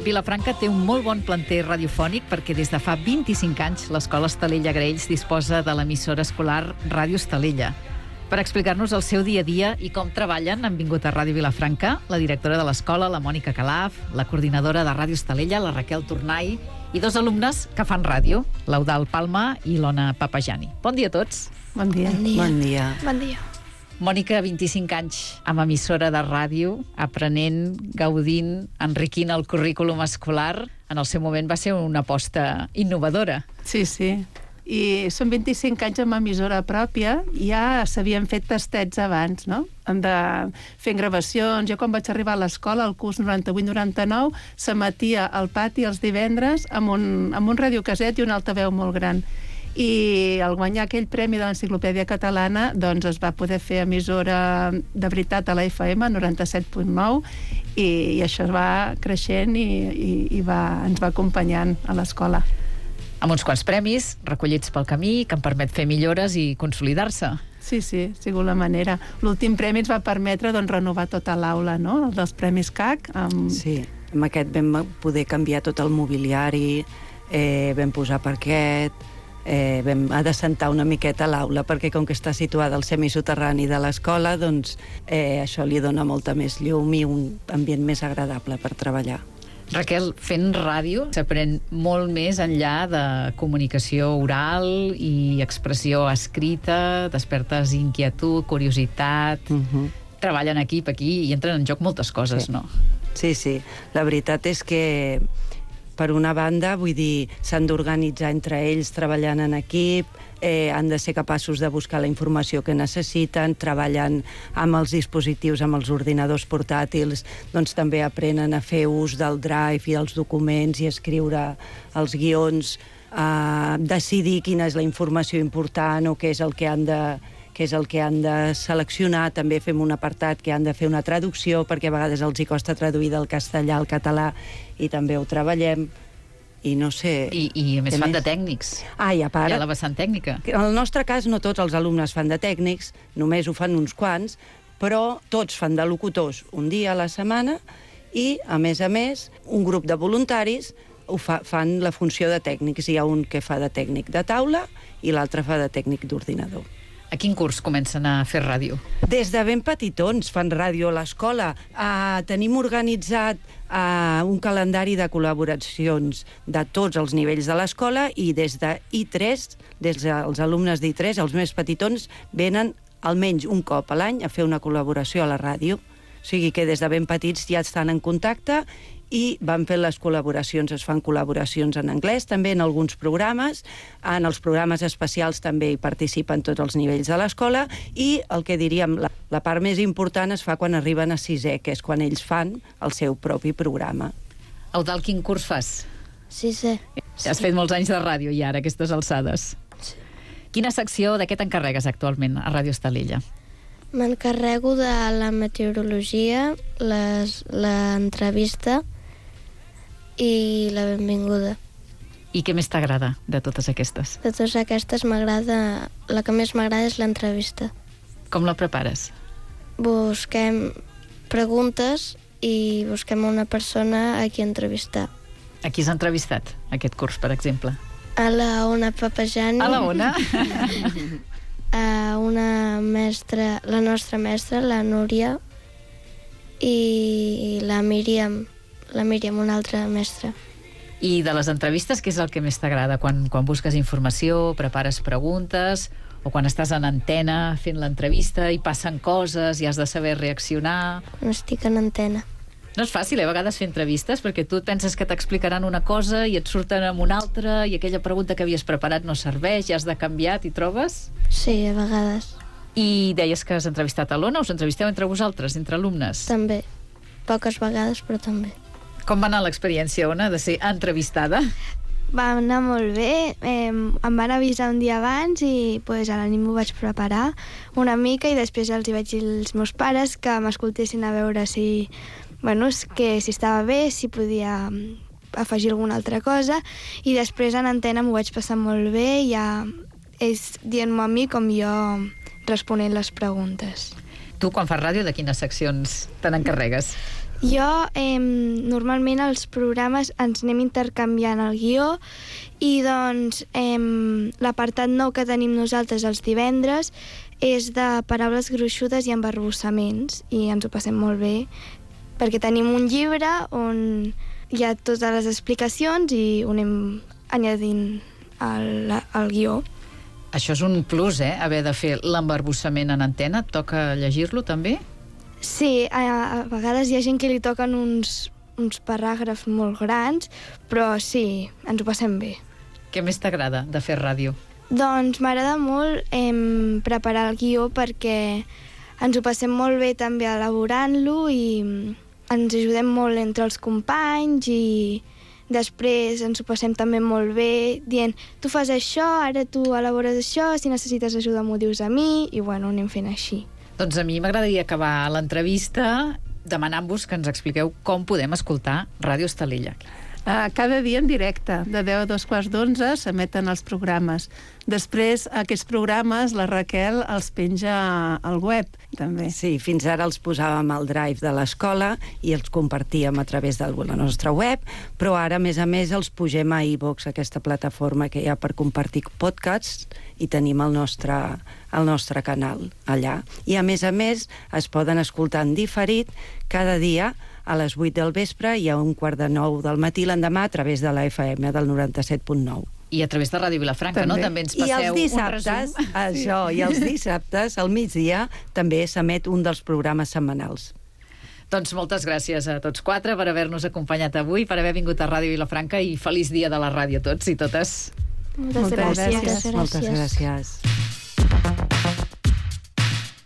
Vilafranca té un molt bon planter radiofònic perquè des de fa 25 anys l'Escola Estalella Graells disposa de l'emissora escolar Ràdio Estalella. Per explicar-nos el seu dia a dia i com treballen han vingut a Ràdio Vilafranca la directora de l'escola, la Mònica Calaf, la coordinadora de Ràdio Estalella, la Raquel Tornai, i dos alumnes que fan ràdio, l'Eudal Palma i l'Ona Papajani. Bon dia a tots. Bon dia. Bon dia. Bon dia. Bon dia. Mònica, 25 anys amb emissora de ràdio, aprenent, gaudint, enriquint el currículum escolar. En el seu moment va ser una aposta innovadora. Sí, sí. I són 25 anys amb emissora pròpia, ja s'havien fet tastets abans, no? Fent gravacions. Jo quan vaig arribar a l'escola, al curs 98-99, s'emetia al pati els divendres amb un radiocaset i un altaveu molt gran. I al guanyar aquell premi de l'Enciclopèdia Catalana doncs es va poder fer emissora de veritat a la FM 97.9 i això es va creixent i ens va acompanyant a l'escola. Amb uns quants premis recollits pel camí que han permet fer millores i consolidar-se. Sí, ha sigut la manera. L'últim premi ens va permetre renovar tota l'aula, no? Els premis CAC. Sí, amb aquest vam poder canviar tot el mobiliari, vam posar parquet, vam adecentar una miqueta l'aula perquè com que està situada al semisoterrani de l'escola, doncs això li dona molta més llum i un ambient més agradable per treballar. Raquel, fent ràdio s'aprèn molt més enllà de comunicació oral i expressió escrita, despertes inquietud, curiositat... Treballen en equip aquí i entren en joc moltes coses, no? Sí, la veritat és que per una banda, vull dir, s'han d'organitzar entre ells treballant en equip, han de ser capaços de buscar la informació que necessiten, treballant amb els dispositius, amb els ordinadors portàtils, doncs també aprenen a fer ús del Drive i dels documents i escriure els guions, decidir quina és la informació important o què és el que han de seleccionar. També fem un apartat que han de fer una traducció, perquè a vegades els hi costa traduir del castellà al català, i també ho treballem. I no sé... I a més fan de tècnics. I a part... Hi ha la vessant tècnica. En el nostre cas no tots els alumnes fan de tècnics, només ho fan uns quants, però tots fan de locutors un dia a la setmana i, a més, un grup de voluntaris fan la funció de tècnics. Hi ha un que fa de tècnic de taula i l'altre fa de tècnic d'ordinador. A quin curs comencen a fer ràdio? Des de ben petitons fan ràdio a l'escola. Tenim organitzat un calendari de col·laboracions de tots els nivells de l'escola i des de I3, des dels alumnes d'I3, els més petitons, venen almenys un cop a l'any a fer una col·laboració a la ràdio. O sigui que des de ben petits ja estan en contacte i van fent les col·laboracions. Es fan col·laboracions en anglès, també en alguns programes. En els programes especials també hi participen tots els nivells de l'escola i el que diríem, la part més important es fa quan arriben a sisè, que és quan ells fan el seu propi programa. Eudal, quin curs fas? Sisè. Has fet molts anys de ràdio ja, ara, aquestes alçades. Sí. Quina secció de què t'encarregues actualment a Ràdio Estalella? M'encarrego de la meteorologia, l'entrevista i la benvinguda. I què més t'agrada de totes aquestes? De totes aquestes la que més m'agrada és l'entrevista. Com la prepares? Busquem preguntes i busquem una persona a qui entrevistar. A qui has entrevistat, aquest curs, per exemple? A la Ona Papajani. A la Ona? A una mestra, la nostra mestra, la Núria, i la Míriam, una altra mestra. I de les entrevistes, què és el que més t'agrada? Quan busques informació, prepares preguntes, o quan estàs en antena fent l'entrevista i passen coses i has de saber reaccionar? Quan estic en antena. No és fàcil, a vegades, fer entrevistes, perquè tu penses que t'explicaran una cosa i et surten amb una altra i aquella pregunta que havies preparat no serveix, ja has de canviar, t'hi trobes? Sí, a vegades. I deies que has entrevistat a l'Ona, us entrevisteu entre vosaltres, entre alumnes? També. Poques vegades, però també. Com va anar l'experiència, Ona, de ser entrevistada? Va anar molt bé. Em van avisar un dia abans i a la nit m'ho vaig preparar una mica i després els hi vaig dir als meus pares que m'escoltessin a veure si estava bé, si podia afegir alguna altra cosa, i després en antena m'ho vaig passar molt bé, ja ells dient-m'ho a mi com jo responent les preguntes. Tu, quan fas ràdio, de quines seccions te n'encarregues? Jo, normalment els programes ens anem intercanviant el guió i doncs l'apartat nou que tenim nosaltres els divendres és de paraules gruixudes i embarbussaments i ens ho passem molt bé perquè tenim un llibre on hi ha totes les explicacions i ho anem añadint al guió. Això és un plus, haver de fer l'embarbussament en antena. Et toca llegir-lo, també? Sí, a vegades hi ha gent que li toquen uns paràgrafs molt grans, però sí, ens ho passem bé. Què més t'agrada de fer ràdio? Doncs m'agrada molt preparar el guió perquè ens ho passem molt bé també elaborant-lo i ens ajudem molt entre els companys i després ens ho passem també molt bé dient tu fas això, ara tu elabores això, si necessites ajuda m'ho dius a mi i bueno, anem fent així. Doncs a mi m'agradaria acabar l'entrevista demanant-vos que ens expliqueu com podem escoltar Ràdio Estalella. Cada dia en directe, de 10 a 2:15 s'emeten els programes. Després, aquests programes, la Raquel els penja al web, també. Sí, fins ara els posàvem al drive de l'escola i els compartíem a través de la nostra web, però ara, a més, els pugem a iVoox, aquesta plataforma que hi ha per compartir podcasts, i tenim el nostre canal allà. I, a més, es poden escoltar en diferit cada dia a les 8 del vespre i a 8:45 del matí l'endemà a través de la FM del 97.9. I a través de Ràdio Vilafranca, també. No? També ens passeu un resum. I els dissabtes, al migdia, també s'emet un dels programes setmanals. Doncs moltes gràcies a tots quatre per haver-nos acompanyat avui, per haver vingut a Ràdio Vilafranca i feliç dia de la ràdio a tots i totes. Moltes gràcies. Moltes gràcies.